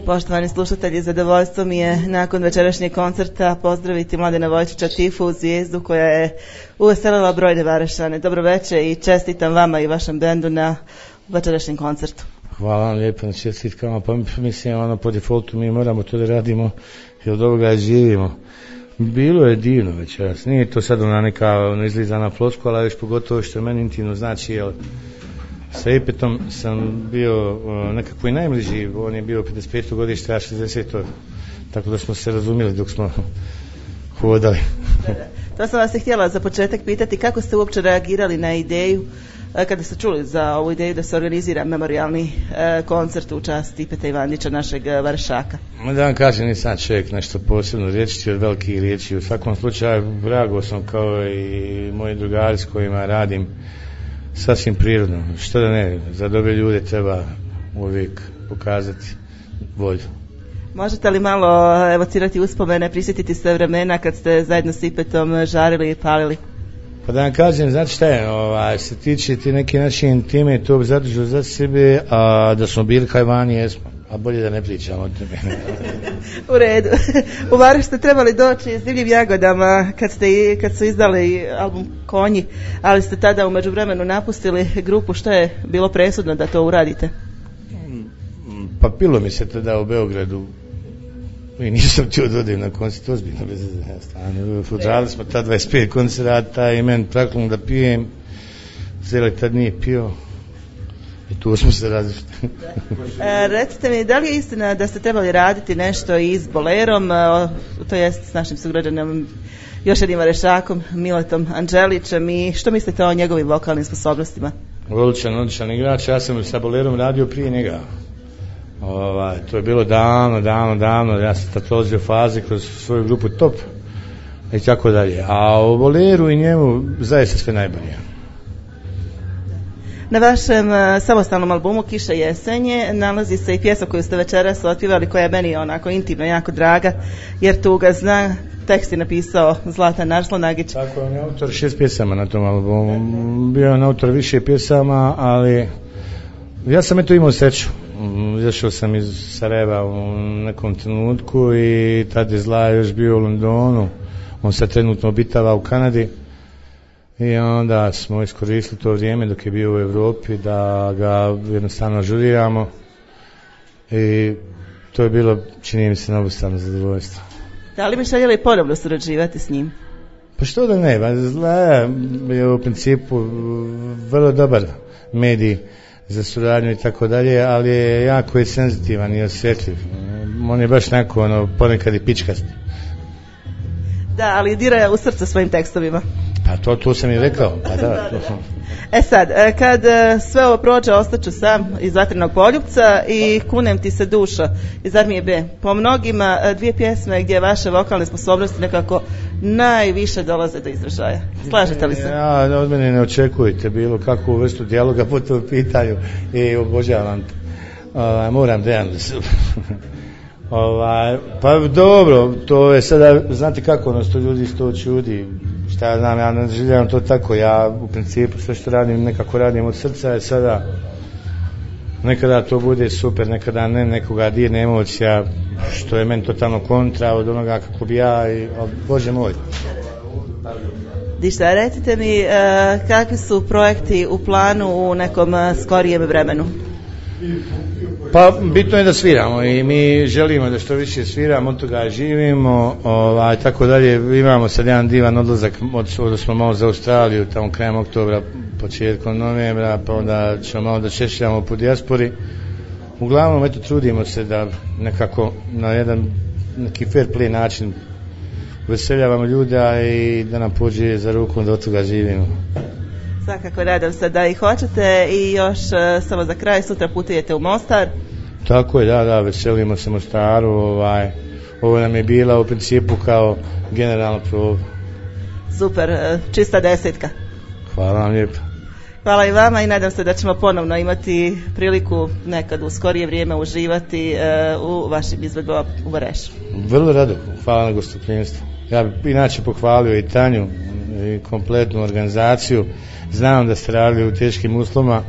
Poštovani slušatelji, zadovoljstvo mi je nakon večerašnjeg koncerta pozdraviti Mladena Vojčića Tifu, zvijezdu koja je uveselila brojne Varešane. Dobro večer i čestitam vama i vašem bendu na večerašnjem koncertu. Hvala vam lijepo na čestitkama, pa mislim po defaultu mi moramo to da radimo jer od ovoga živimo. Bilo je divno večeras, nije to sad ona neka izlizana floskula, ali već pogotovo što meni intimno znači, jer sa Ipetom sam bio nekako i najbliži, on je bio 55. godište, a 60. Tako da smo se razumjeli dok smo hodali. To sam vas i htjela za početak pitati, kako ste uopće reagirali na ideju, kada ste čuli za ovu ideju da se organizira memorijalni koncert u čast Ipeta Ivandića, našeg Varešaka? Da vam kažem, nisam čovjek nešto posebno riječiti od velikih riječi. U svakom slučaju reagovao sam kao i moji drugari s kojima radim sasvim prirodno. Što da ne, za dobre ljude treba uvijek pokazati volju. Možete li malo evocirati uspomene, prisjetiti se vremena kad ste zajedno s Ipetom žarili i palili? Pa da vam kažem, znate šta je, se tiče ti neke naše intime, to bi zadržao za sebe, a da smo bili kaj vani, jesmo, a bolje da ne pričamo o tome. U redu. U Vareš ste trebali doći s Divljim jagodama kad su izdali album Konji, ali ste tada u međuvremenu napustili grupu. Što je bilo presudno da to uradite? Pa pilo mi se tada u Beogradu i nisam htio da odem na koncert, ozbiljno bez stane. Odradili smo tad 25 koncerata i meni praklom da pijem, Zele tad nije pio i tu smo se različili. Recite mi, da li je istina da ste trebali raditi nešto i s Bolerom, to jest s našim sugrađanom, još jednim Varešakom, Miletom Anđelićem, i što mislite o njegovim vokalnim sposobnostima? Odličan igrač, ja sam sa Bolerom radio prije njega. To je bilo davno, ja sam također fazi kroz svoju grupu Top i tako dalje, a o Boleru i njemu zaista sve najbolje. Na vašem samostalnom albumu Kiša jesenje nalazi se i pjesma koju ste večeras otpjevali, koja je meni onako intimno jako draga, jer tuga zna. Tekst je napisao Zlatan Arslonagić. Tako, on je autor 6 pjesama na tom albumu, bio je autor više pjesama, ali ja sam imao sreću. Izašao sam iz Sarajeva u nekom trenutku i tad je Zla još bio u Londonu, on se trenutno obitava u Kanadi i onda smo iskoristili to vrijeme dok je bio u Europi da ga jednostavno ažuriramo i to je bilo, čini mi se, na obostrano zadovoljstvo. Da li bi željeli ponovno surađivati s njim? Pa što da ne, Zla je u principu vrlo dobar medij za suradnju i tako dalje, ali je jako senzitivan i osjetljiv. On je baš neko ponekad i pičkast. Da, ali dira u srce svojim tekstovima. Pa to sam i rekao. Pa da. Sad, kad sve ovo prođe, ostaću sam iz Vatrenog poljupca i Kunem ti se duša iz Armije B. Po mnogima dvije pjesme gdje vaše vokalne sposobnosti nekako najviše dolaze do izražaja. Slažete li se? Ja, od mene ne očekujete bilo kakvu vrstu dijaloga po tom pitanju i obožavam. Moram da se... Pa dobro, to je sada, znate kako to ljudi to čudi, šta ja znam, ja ne željavam to tako, ja u principu sve što radim nekako radim od srca, je sada nekada to bude super, nekada ne, nekoga dirne emocija, što je meni totalno kontra od onoga kako bi ja, Bože moj. Dišta, recite mi kakvi su projekti u planu u nekom skorijem vremenu? Pa bitno je da sviramo i mi želimo da što više sviramo, od toga živimo, tako dalje. Imamo sad jedan divan odlazak, od smo malo za Australiju, tamo krajem oktobra, početkom novembra, pa onda ćemo malo da češljamo po dijaspori. Uglavnom, eto, trudimo se da nekako na jedan neki fair play način veseljavamo ljuda i da nam pođe za rukom da od toga živimo. Svakako, nadam se da i hoćete. I još samo za kraj, sutra putujete u Mostar. Tako je, da, veselimo se Mostaru. Ovo nam je bila u principu kao generalna proba. Super, čista 10. Hvala vam lijepo. Hvala i vama i nadam se da ćemo ponovno imati priliku nekad u skorije vrijeme uživati u vašim izvedbama u Varešu. Vrlo rado, hvala na gostoprimstvu. Ja bih inače pohvalio i Tanju i kompletnu organizaciju. Znam da ste radili u teškim uslovima,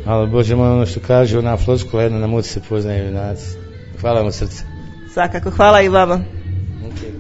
ali Bože moj, ono što kaže ona floskula, jedna na muci se poznaju junaci. Hvala vam od srca. Svakako, hvala i vama. Okay.